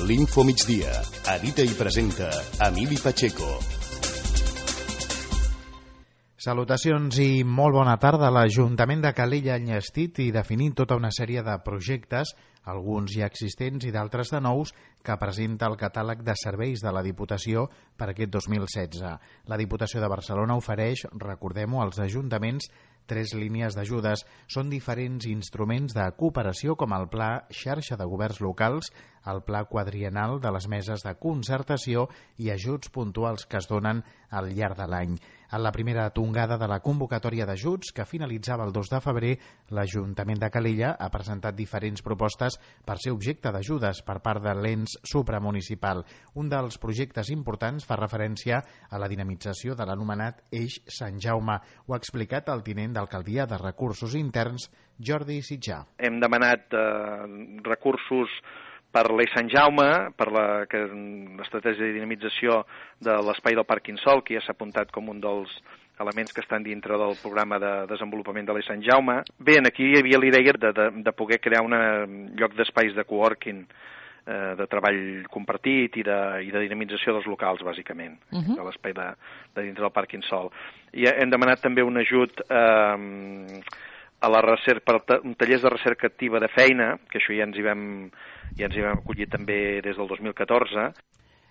L'Info Migdia. Edita i presenta Emili Pacheco. Salutacions i molt bona tarda. L'Ajuntament de Calella ha enllestit i definit tota una sèrie de projectes, alguns ja existents i d'altres de nous, que presenta el catàleg de serveis de la Diputació per aquest 2016. La Diputació de Barcelona ofereix, recordem-ho, als ajuntaments 3 línies d'ajudes. Són diferents instruments de cooperació com el Pla Xarxa de Governs Locals, el Pla Quadriennal de les Meses de Concertació i ajuts puntuals que es donen al llarg de l'any. En la primera tongada de la convocatòria d'ajuts, que finalitzava el 2 de febrer, l'Ajuntament de Calella ha presentat diferents propostes per ser objecte d'ajudes per part de l'ens supramunicipal. Un dels projectes importants fa referència a la dinamització de l'anomenat Eix Sant Jaume. Ho ha explicat el tinent d'alcaldia de Recursos Interns, Jordi Sitjà. Hem demanat recursos per l'Eix Sant Jaume, per l'estratègia de dinamització de l'espai del Parc Insol, que ja s'ha apuntat com un dels elements que estan dintre del programa de desenvolupament de l'Eix Sant Jaume. Bé, aquí hi havia l'idea de poder crear un lloc d'espais de coworking, de treball compartit i de dinamització dels locals, bàsicament, de l'espai de dintre del Parc Insol. I hem demanat també un ajut a la recerca, per tallers de recerca activa de feina, que això ja ens hi vam acollir també des del 2014.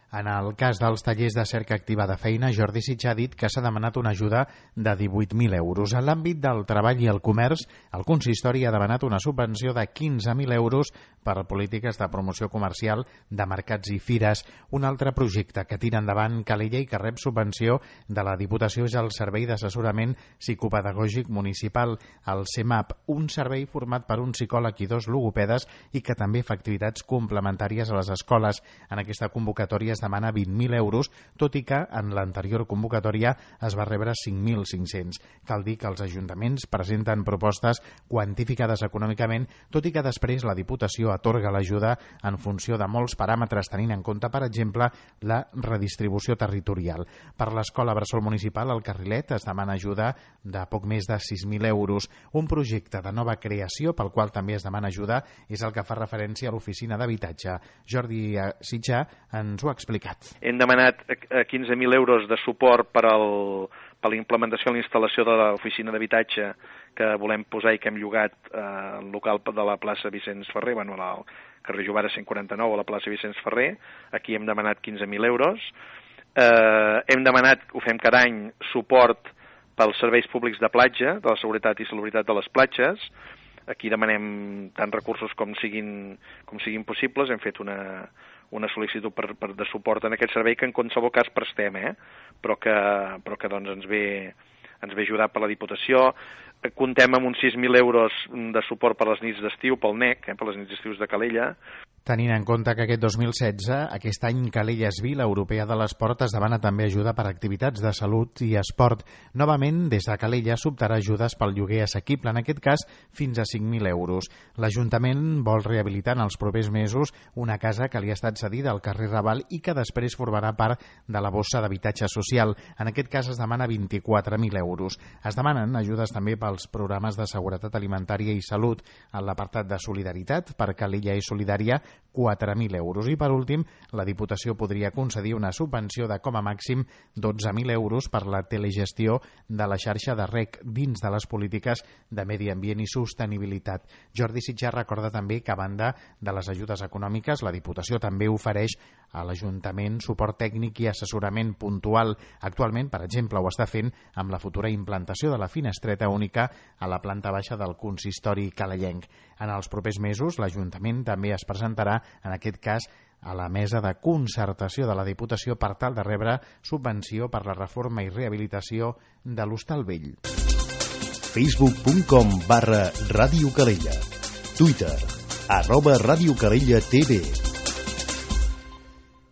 En el cas dels tallers de cerca activa de feina, Jordi Sitjà ha dit que s'ha demanat una ajuda de 18.000 euros. En l'àmbit del treball i el comerç, el consistori ha demanat una subvenció de 15.000 euros per a polítiques de promoció comercial de mercats i fires. Un altre projecte que tira endavant Calella i que rep subvenció de la Diputació és el Servei d'Assessorament Psicopedagògic Municipal, el CEMAP, un servei format per un psicòleg i 2 logopedes i que també fa activitats complementàries a les escoles. En aquesta convocatòria es demana 20.000 euros, tot i que en l'anterior convocatòria es va rebre 5.500. Cal dir que els ajuntaments presenten propostes quantificades econòmicament, tot i que després la Diputació atorga l'ajuda en funció de molts paràmetres, tenint en compte, per exemple, la redistribució territorial. Per l'Escola Bressol Municipal, al Carrilet, es demana ajuda de poc més de 6.000 euros. Un projecte de nova creació pel qual també es demana ajuda és el que fa referència a l'oficina d'habitatge. Jordi Sitjà ens ho ha explicat. Hem demanat 15.000 euros de suport per la implementació i la instal·lació de l'oficina d'habitatge que volem posar i que hem llogat al local de la plaça Vicenç Ferrer, al carrer Jovara 149 a la plaça Vicenç Ferrer. Aquí hem demanat 15.000 euros. Hem demanat, ho fem cada any, suport pels serveis públics de platja, de la seguretat i salubritat de les platges. Aquí demanem tant recursos com siguin possibles. Hem fet una sol·licitud de suport en aquest servei que en qualsevol cas prestem, però que doncs ens ve ajudat per la Diputació. Comptem amb uns 6.000 euros de suport per les nits d'estiu, pel NEC, per les nits d'estius de Calella. Tenint en compte que aquest 2016, aquest any Calella és Vila Europea de l'Esport, es demana també ajuda per activitats de salut i esport. Novament, des de Calella s'optarà ajudes pel lloguer assequible, en aquest cas fins a 5.000 euros. L'Ajuntament vol rehabilitar en els propers mesos una casa que li ha estat cedida al carrer Raval i que després formarà part de la bossa d'habitatge social. En aquest cas es demana 24.000 euros. Es demanen ajudes també pels programes de seguretat alimentària i salut. En l'apartat de solidaritat, per Calella és Solidària, 4.000 euros. I per últim, la Diputació podria concedir una subvenció de com a màxim 12.000 euros per la telegestió de la xarxa de rec dins de les polítiques de medi ambient i sostenibilitat. Jordi Sitjà recorda també que, a banda de les ajudes econòmiques, la Diputació també ofereix a l'Ajuntament suport tècnic i assessorament puntual. Actualment, per exemple, ho està fent amb la futura implantació de la finestreta única a la planta baixa del consistori calellenc. En els propers mesos, l'Ajuntament també es presentarà, en aquest cas, a la mesa de concertació de la Diputació per tal de rebre subvenció per la reforma i rehabilitació de l'Hostal Vell. Facebook.com/Ràdio Calella. Twitter @Ràdio Calella TV.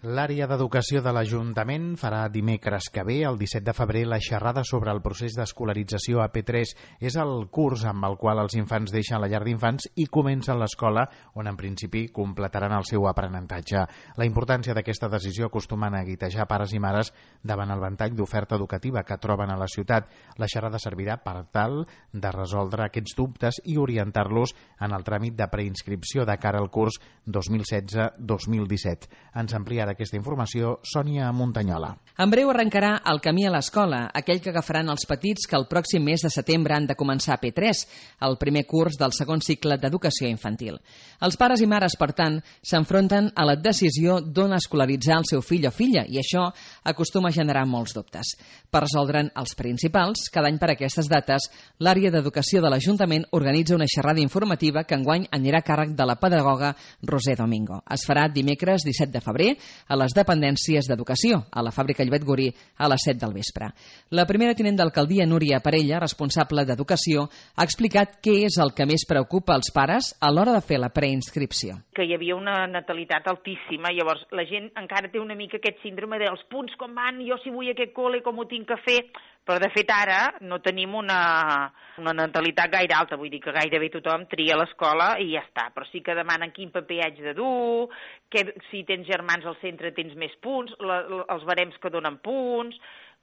L'àrea d'educació de l'Ajuntament farà dimecres que ve, el 17 de febrer, la xerrada sobre el procés d'escolarització a P3. És el curs amb el qual els infants deixen la llar d'infants i comencen l'escola, on en principi completaran el seu aprenentatge. La importància d'aquesta decisió acostuma a neguitejar pares i mares davant el ventall d'oferta educativa que troben a la ciutat. La xerrada servirà per tal de resoldre aquests dubtes i orientar-los en el tràmit de preinscripció de cara al curs 2016-2017. Ens ampliarà aquesta informació Sònia Montanyola. En breu arrencarà el camí a l'escola, aquell que agafaran els petits que el pròxim mes de setembre han de començar a P3, el primer curs del segon cicle d'educació infantil. Els pares i mares, per tant, s'enfronten a la decisió d'on escolaritzar el seu fill o filla, i això acostuma a generar molts dubtes. Per resoldre'n els principals, cada any per aquestes dates, l'àrea d'educació de l'Ajuntament organitza una xerrada informativa que enguany anirà a càrrec de la pedagoga Roser Domingo. Es farà dimecres 17 de febrer a les dependències d'educació, a la fàbrica Llobet Gorí, a les 7 del vespre. La primera tinent d'alcaldia, Núria Parella, responsable d'educació, ha explicat què és el que més preocupa als pares a l'hora de fer la preinscripció. Que hi havia una natalitat altíssima, llavors la gent encara té una mica aquest síndrome dels punts com van, jo si vull aquest col·le com ho tinc que fer, però de fet ara no tenim una natalitat gaire alta, vull dir que gairebé tothom tria l'escola i ja està, però sí que demanen quin paper haig de dur, que si tens germans al centre tens més punts, els barems que donen punts.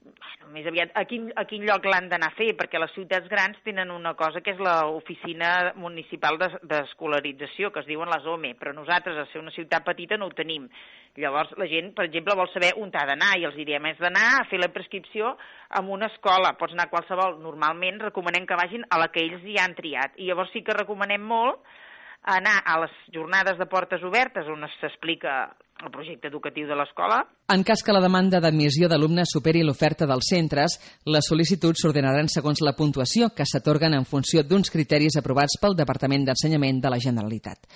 Bueno, més aviat, a quin lloc l'han d'anar a fer, perquè les ciutats grans tenen una cosa que és l'oficina municipal d'escolarització, que es diuen les OME, però nosaltres, a ser una ciutat petita, no ho tenim. Llavors, la gent, per exemple, vol saber on ha d'anar, i els diem, és d'anar a fer la prescripció en una escola. Pots anar a qualsevol. Normalment recomanem que vagin a la que ells ja han triat, i llavors sí que recomanem molt anar a les jornades de portes obertes, on s'explica el projecte educatiu de l'escola. En cas que la demanda d'admissió d'alumnes superi l'oferta dels centres, les sol·licituds s'ordenaran segons la puntuació que s'atorguen en funció d'uns criteris aprovats pel Departament d'Ensenyament de la Generalitat.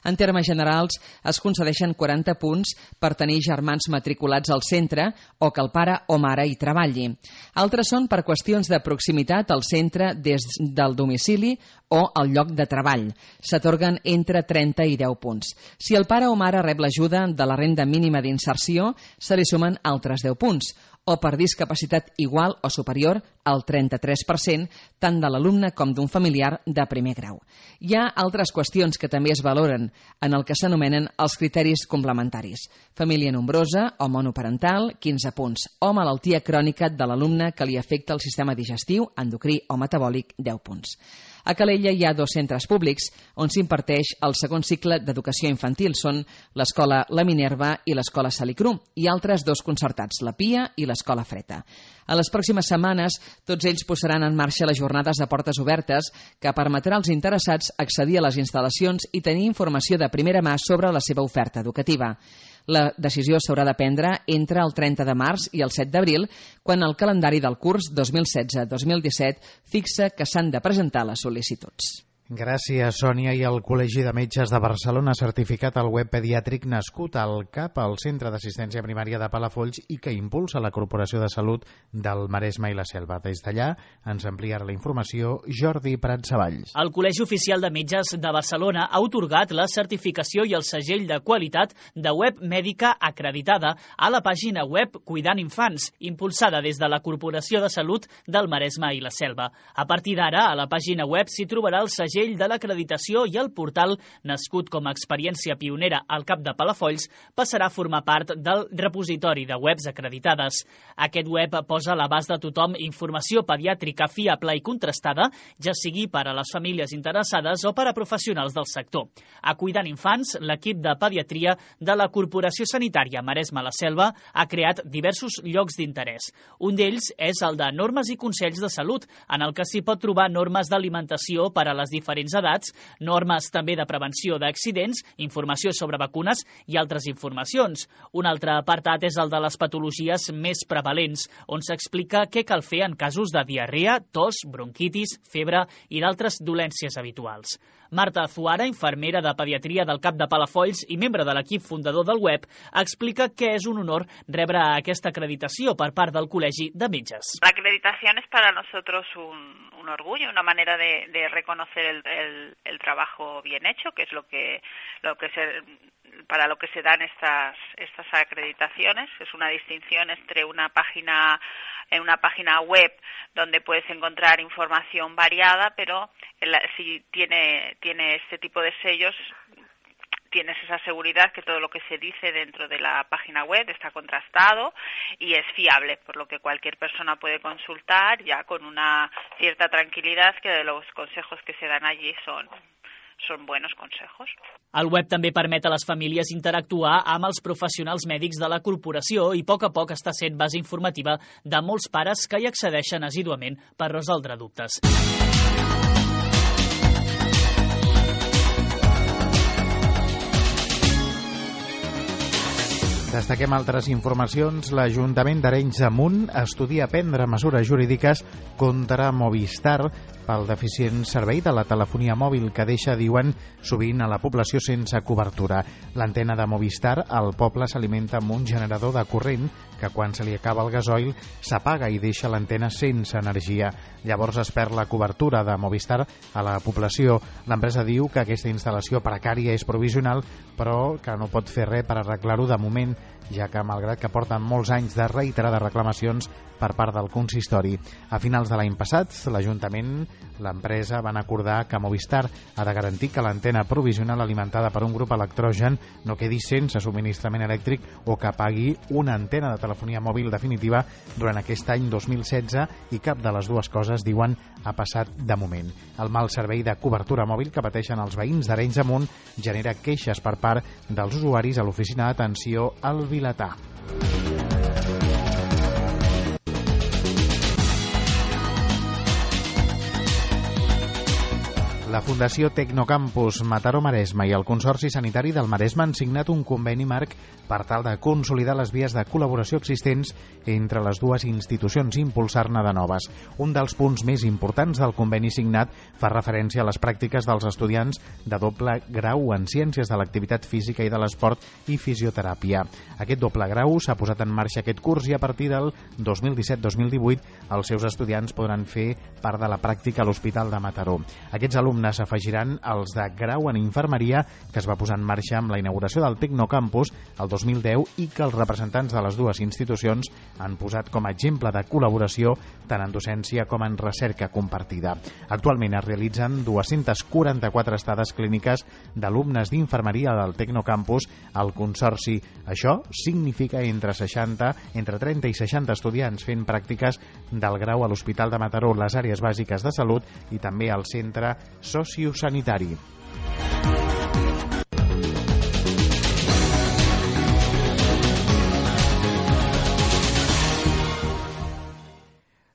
En termes generals, es concedeixen 40 punts per tenir germans matriculats al centre o que el pare o mare hi treballi. Altres són per qüestions de proximitat al centre des del domicili o al lloc de treball. S'atorguen entre 30 i 10 punts. Si el pare o mare rep l'ajuda de la renda mínima d'inserció, se li sumen altres 10 punts, o per discapacitat igual o superior al 33%, tant de l'alumne com d'un familiar de primer grau. Hi ha altres qüestions que també es valoren en el que s'anomenen els criteris complementaris. Família nombrosa o monoparental, 15 punts, o malaltia crònica de l'alumne que li afecta el sistema digestiu, endocrí o metabòlic, 10 punts. A Calella hi ha 2 centres públics on s'imparteix el segon cicle d'educació infantil. Són l'escola La Minerva i l'escola Salicru, i altres 2 concertats, la Pia i l'escola Freta. A les pròximes setmanes, tots ells posaran en marxa les jornades de portes obertes que permetrà als interessats accedir a les instal·lacions i tenir informació de primera mà sobre la seva oferta educativa. La decisió s'haurà de prendre entre el 30 de març i el 7 d'abril, quan el calendari del curs 2016-2017 fixa que s'han de presentar les sol·licituds. Gràcies, Sònia. I el Col·legi de Metges de Barcelona ha certificat el web pediàtric nascut al CAP, al Centre d'Assistència Primària de Palafolls, i que impulsa la Corporació de Salut del Maresme i la Selva. Des d'allà ens ampliarà la informació Jordi Prat-Savalls. El Col·legi Oficial de Metges de Barcelona ha atorgat la certificació i el segell de qualitat de web mèdica acreditada a la pàgina web Cuidant Infants, impulsada des de la Corporació de Salut del Maresme i la Selva. A partir d'ara, a la pàgina web s'hi trobarà el segell de l'acreditació, i el portal, nascut com a experiència pionera al CAP de Palafolls, passarà a formar part del repositori de webs acreditades. Aquest web posa a l'abast de tothom informació pediàtrica fiable i contrastada, ja sigui per a les famílies interessades o per a professionals del sector. A Cuidant Infants, l'equip de pediatria de la Corporació Sanitària Maresme-la Selva ha creat diversos llocs d'interès. Un d'ells és el de normes i consells de salut, en el que s'hi pot trobar normes d'alimentació per a les diferents edats, normes també de prevenció d'accidents, informació sobre vacunes i altres informacions. Un altre apartat és el de les patologies més prevalents, on s'explica què cal fer en casos de diarrea, tos, bronquitis, febre i d'altres dolències habituals. Marta Azuara, infermera de pediatria del CAP de Palafolls i membre de l'equip fundador del web, explica que és un honor rebre aquesta acreditació per part del Col·legi de Metges. La acreditación es para nosotros un orgullo, una manera de reconocer el trabajo bien hecho, que es para lo que se dan estas acreditaciones. Es una distinción entre una página web donde puedes encontrar información variada, pero si tiene este tipo de sellos, tienes esa seguridad que todo lo que se dice dentro de la página web está contrastado y es fiable, por lo que cualquier persona puede consultar ya con una cierta tranquilidad que los consejos que se dan allí son buenos consejos. El web també permet a les famílies interactuar amb els professionals mèdics de la corporació i a poc està sent base informativa de molts pares que hi accedeixen assíduament per resoldre dubtes. Destaquem altres informacions. L'Ajuntament d'Arenys de Munt estudia prendre mesures jurídiques contra Movistar pel deficient servei de la telefonia mòbil que deixa, diuen, sovint a la població sense cobertura. L'antena de Movistar al poble s'alimenta amb un generador de corrent que quan se li acaba el gasoil s'apaga i deixa l'antena sense energia. Llavors es perd la cobertura de Movistar a la població. L'empresa diu que aquesta instal·lació precària és provisional, però que no pot fer res per arreglar-ho de moment, ja que malgrat que porten molts anys de reiterades reclamacions per part del consistori. A finals de l'any passat, l'Ajuntament, l'empresa, van acordar que Movistar ha de garantir que l'antena provisional alimentada per un grup electrogen no quedi sense subministrament elèctric o que pagui una antena de telefonia mòbil definitiva durant aquest any 2016 i cap de les dues coses, diuen, ha passat de moment. El mal servei de cobertura mòbil que pateixen els veïns d'Arenys de Munt genera queixes per part dels usuaris a l'oficina d'atenció al Vilatà. La Fundació Tecnocampus Mataró-Maresme i el Consorci Sanitari del Maresme han signat un conveni marc per tal de consolidar les vies de col·laboració existents entre les dues institucions i impulsar-ne de noves. Un dels punts més importants del conveni signat fa referència a les pràctiques dels estudiants de doble grau en Ciències de l'Activitat Física i de l'Esport i Fisioteràpia. Aquest doble grau s'ha posat en marxa aquest curs i a partir del 2017-2018 els seus estudiants podran fer part de la pràctica a l'Hospital de Mataró. Aquests alumnes s'afegiran als de grau en infermeria que es va posar en marxa amb la inauguració del Tecnocampus el 2010 i que els representants de les dues institucions han posat com a exemple de col·laboració tant en docència com en recerca compartida. Actualment es realitzen 244 estades clíniques d'alumnes d'infermeria del Tecnocampus al Consorci. Això significa entre 30 i 60 estudiants fent pràctiques del grau a l'Hospital de Mataró, les àrees bàsiques de salut i també al centre sociosanitari.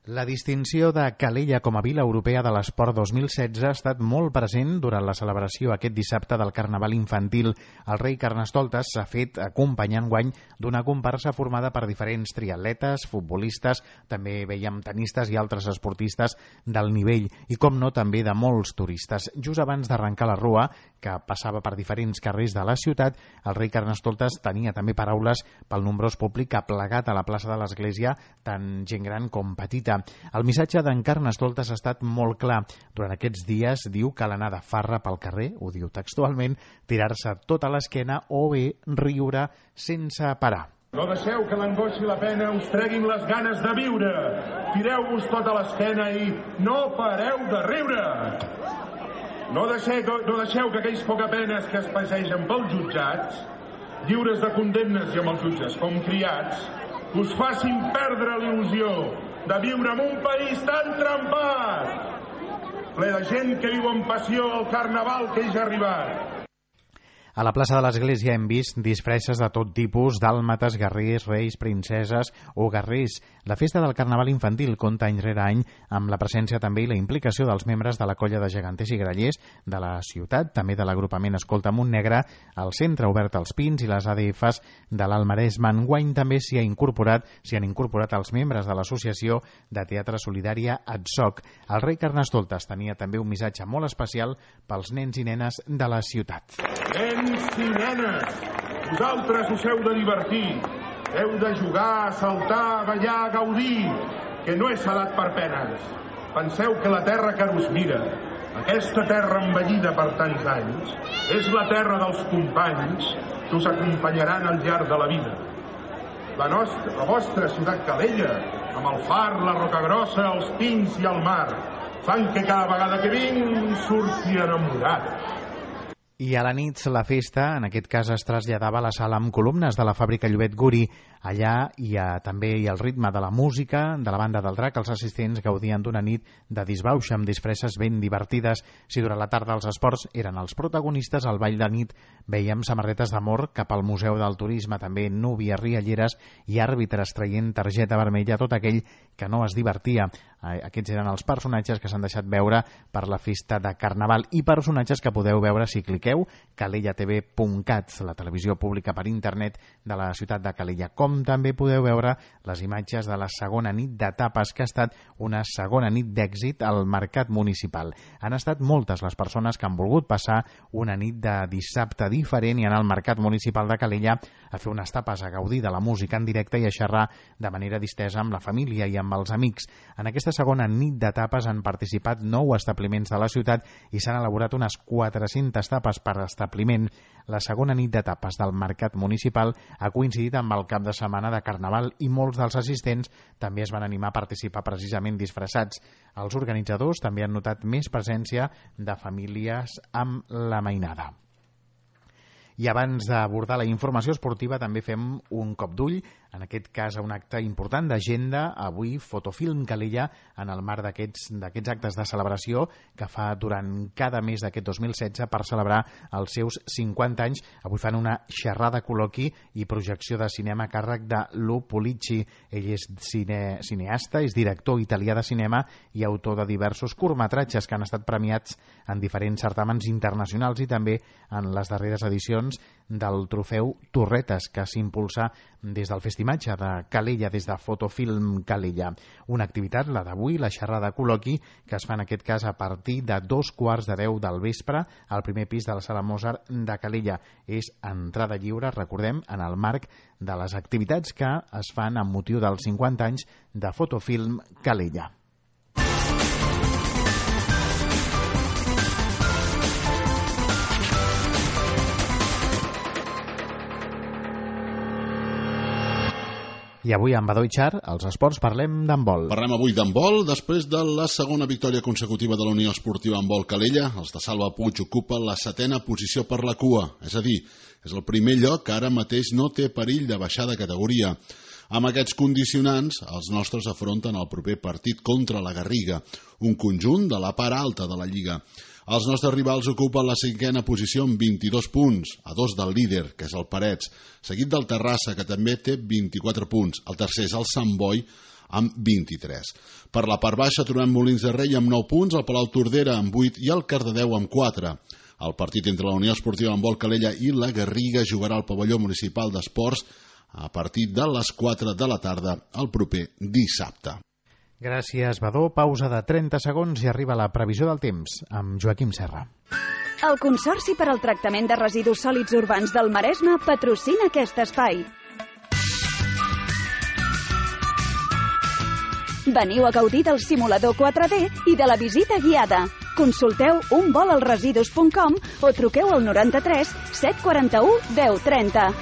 La distinció de Calella com a Vila Europea de l'Esport 2016 ha estat molt present durant la celebració aquest dissabte del Carnaval Infantil. El rei Carnestoltes s'ha fet acompanyant guany d'una comparsa formada per diferents triatletes, futbolistes, també veiem tenistes i altres esportistes del nivell i, com no, també de molts turistes. Just abans d'arrencar la rua, que passava per diferents carrers de la ciutat, el rei Carnestoltes tenia també paraules pel nombrós públic que ha plegat a la plaça de l'Església, tant gent gran com petita. El missatge d'en Carnestoltes ha estat molt clar. Durant aquests dies diu que l'anar de farra pel carrer, ho diu textualment, tirar-se tota l'esquena o bé riure sense parar. No deixeu que l'angoixa i la pena us treguin les ganes de viure. Tireu-vos tota l'esquena i no pareu de riure. No deixeu que aquells pocapenes que es passegen pels jutjats, lliures de condemnes i amb els jutges com criats, us facin perdre l'il·lusió de viure en un país tan trempat, ple de gent que viu amb passió el carnaval que és arribat. A la plaça de l'Església hem vist disfresses de tot tipus, dàlmates, guerrers, reis, princeses o guerrers. La festa del Carnaval infantil compta any rere any amb la presència també i la implicació dels membres de la colla de geganters i grallers de la ciutat, també de l'agrupament Escolta Montnegre, el Centre Obert als Pins i les ADFs de l'Alt Maresme. Enguany també s'hi han incorporat els membres de l'Associació de Teatre Solidària ATSOC. El rei Carnestoltes tenia també un missatge molt especial pels nens i nenes de la ciutat. Nens i nenes, vosaltres us heu de divertir, heu de jugar, saltar, ballar, gaudir, que no és salat per penes. Penseu que la terra que us mira, aquesta terra envellida per tants anys, és la terra dels companys que us acompanyaran al llarg de la vida. La vostra ciutat Calella, amb el far, la Rocagrossa, els pins i el mar, fan que cada vegada que vinc surti enamorat. I a la nit la festa, en aquest cas, es traslladava a la sala amb columnes de la fàbrica Llobet Guri. Allà també hi ha el ritme de la música, de la banda del Drac. Els assistents gaudien d'una nit de disbauxa amb disfresses ben divertides. Si durant la tarda els esports eren els protagonistes, al ball de nit veiem samarretes d'amor cap al Museu del Turisme, també núvies rialleres i àrbitres traient targeta vermella a tot aquell que no es divertia. Aquests eren els personatges que s'han deixat veure per la festa de Carnaval i personatges que podeu veure si cliqueu calellatv.cat, la televisió pública per internet de la ciutat de Calella, com també podeu veure les imatges de la segona nit d'etapes, que ha estat una segona nit d'èxit al Mercat Municipal. Han estat moltes les persones que han volgut passar una nit de dissabte diferent i anar al Mercat Municipal de Calella a fer unes tapes, a gaudir de la música en directe i a xerrar de manera distesa amb la família i amb els amics. En aquesta segona nit d'etapes han participat 9 establiments de la ciutat i s'han elaborat unes 400 tapes per establiment. La segona nit d'etapes del Mercat Municipal ha coincidit amb el cap de setmana de Carnaval i molts dels assistents també es van animar a participar precisament disfressats. Els organitzadors també han notat més presència de famílies amb la mainada. I abans d'abordar la informació esportiva també fem un cop d'ull, en aquest cas a un acte important d'agenda, avui Fotofilm Calella, en el marc d'aquests actes de celebració que fa durant cada mes d'aquest 2016 per celebrar els seus 50 anys. Avui fan una xerrada, col·loqui i projecció de cinema a càrrec de Lu Pulici. Ell és cineasta, és director italià de cinema i autor de diversos curtmetratges que han estat premiats en diferents certàmens internacionals i també en les darreres edicions del trofeu Torretes, que s'impulsa des del Festimatge de Calella, des de Fotofilm Calella. Una activitat, la d'avui, la xerrada col·loqui, que es fa en aquest cas a partir de 2:15 del vespre al primer pis de la Sala Mozart de Calella. És entrada lliure, recordem, en el marc de les activitats que es fan amb motiu dels 50 anys de Fotofilm Calella. I avui amb Badó i Char, als esports, parlem d'handbol. Parlem avui d'handbol. Després de la segona victòria consecutiva de la Unió Esportiva Handbol Calella, els de Salva Puig ocupen la 7a posició per la cua. És a dir, és el primer lloc que ara mateix no té perill de baixar de categoria. Amb aquests condicionants, els nostres afronten el proper partit contra la Garriga, un conjunt de la part alta de la Lliga. Els nostres rivals ocupen la 5a posició amb 22 punts, a 2 del líder, que és el Parets, seguit del Terrassa, que també té 24 punts. El tercer és el Sant Boi, amb 23. Per la part baixa trobem Molins de Rei amb 9 punts, el Palau Tordera amb 8 i el Cardedeu amb 4. El partit entre la Unió Esportiva Handbol Calella i la Garriga jugarà al pavelló municipal d'esports a partir de les 4 de la tarda el proper dissabte. Gràcies, Badó. Pausa de 30 segons i arriba la previsió del temps amb Joaquim Serra. El Consorci per al Tractament de Residus Sòlids Urbans del Maresme patrocina aquest espai. Veniu a gaudir del simulador 4D i de la visita guiada. Consulteu unvolalresidus.com o truqueu al 93 741 1030.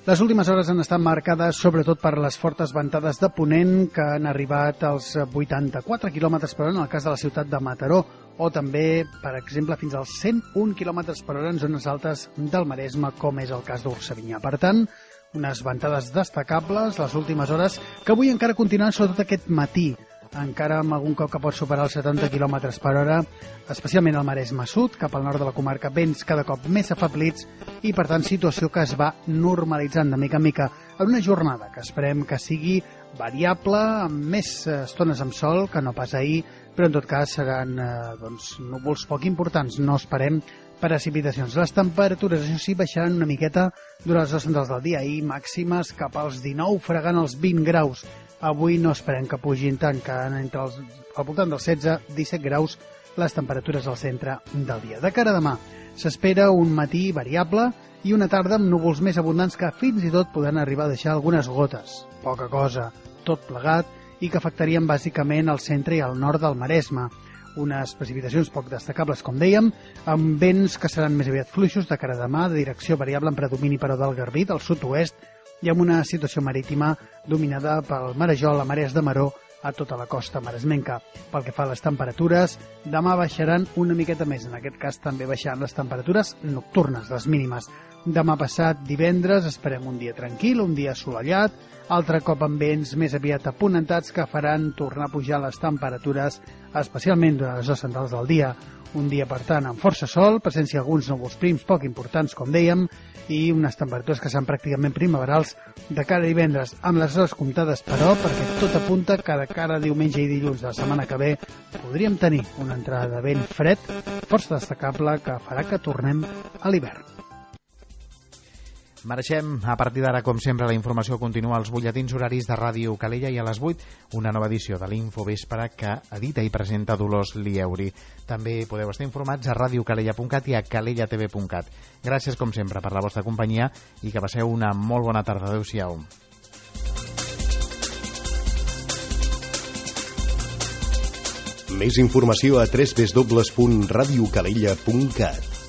Les últimes hores han estat marcades sobretot per les fortes ventades de ponent que han arribat als 84 km per hora en el cas de la ciutat de Mataró o també, per exemple, fins als 101 km per hora en zones altes del Maresme, com és el cas d'Orsavinyà. Per tant, unes ventades destacables les últimes hores que avui encara continuen sobretot aquest matí. encara amb algun cop que pot superar els 70 km per hora, especialment al Maresme Sud, cap al nord de la comarca, vents cada cop més afablits i, per tant, situació que es va normalitzant de mica en mica en una jornada que esperem que sigui variable, amb més estones amb sol que no pas ahir, però en tot cas seran núvols poc importants, no esperem precipitacions. Les temperatures, això sí, baixaran una miqueta durant les hores centrals del dia, ahir màximes cap als 19, fregant els 20 graus. Avui no esperem que pugin tant, que al voltant dels 16-17 graus les temperatures al centre del dia. De cara a demà, s'espera un matí variable i una tarda amb núvols més abundants que fins i tot poden arribar a deixar algunes gotes. Poca cosa, tot plegat, i que afectarien bàsicament el centre i el nord del Maresme. Unes precipitacions poc destacables, com dèiem, amb vents que seran més aviat fluixos de cara a demà, de direcció variable en predomini però del Garbí, del sud-oest, i amb una situació marítima dominada pel marejol, la marees de maró, a tota la costa maresmenca. Pel que fa a les temperatures, demà baixaran una miqueta més, en aquest cas també baixaran les temperatures nocturnes, les mínimes. Demà passat, divendres, esperem un dia tranquil, un dia assolellat, altre cop amb vents més aviat aponentats que faran tornar a pujar les temperatures, especialment durant les hores centrals del dia. Un dia, per tant, amb força sol, presència d'alguns núvols prims poc importants, com dèiem, i unes temperatures que seran pràcticament primaverals de cara a divendres, amb les hores comptades, però, perquè tot apunta que de cara a diumenge i dilluns de la setmana que ve podríem tenir una entrada de vent fred força destacable que farà que tornem a l'hivern. Marxem. A partir d'ara, com sempre, la informació continua als butlletins horaris de Ràdio Calella i a les 8 una nova edició de l'Infovespre que edita i presenta Dolors Lieuri. També podeu estar informats a radiocalella.cat i a calellatv.cat. Gràcies, com sempre, per la vostra companyia i que passeu una molt bona tarda. Adéu-siau. Més informació a www.radiocalella.cat.